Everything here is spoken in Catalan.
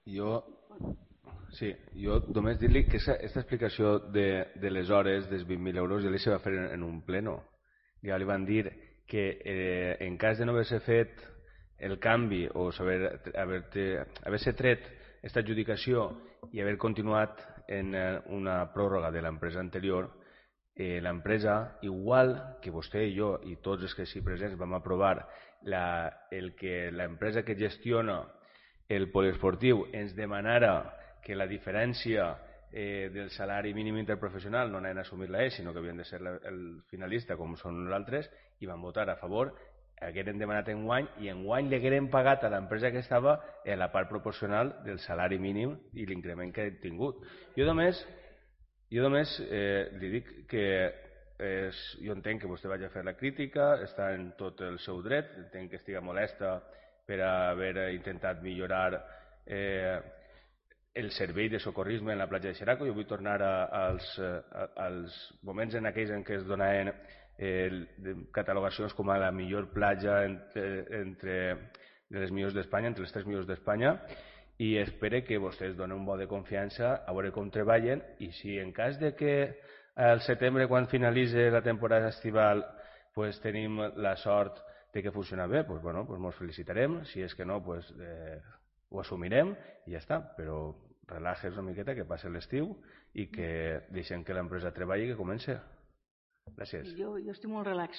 Jo, sí, jo només dir-li que aquesta explicació de les hores dels 20.000 euros ja li se va fer en un pleno. Ja li van dir que en cas de no haver-se fet el canvi o haver-se tret aquesta adjudicació i haver continuat en una pròrroga de l'empresa anterior, l'empresa, igual que vostè i jo i tots els que s'hi presents vam aprovar el que l'empresa que gestiona el poliesportiu ens demanara que la diferència del salari mínim interprofessional no anaven a assumir-la ells, sinó que havien de ser el finalista com són nosaltres, i van votar a favor, hagueren demanat enguany i enguany li hagueren pagat a l'empresa que estava la part proporcional del salari mínim i l'increment que han tingut. Jo només li dic que jo entenc que vostè vagi a fer la crítica, està en tot el seu dret, entenc que estiga molesta per haver intentat millorar el servei de socorrisme en la platja de Xeraco. Jo vull tornar als moments en aquells en què es donaven catalogacions com a la millor platja de les millors d'Espanya, entre les 3 millors d'Espanya, i espere que vostès donen un vot de confiança a veure com treballen, i si en cas de que al setembre, quan finalitzi la temporada estival, pues, tenim la sort de que funciona bé, pues, bueno, pues ens felicitarem. Si és que no, pues, ho assumirem i ja està, però relaxes una miqueta, que passi l'estiu i que deixem que l'empresa treballi i que comenci. Gràcies. Jo estic molt relax.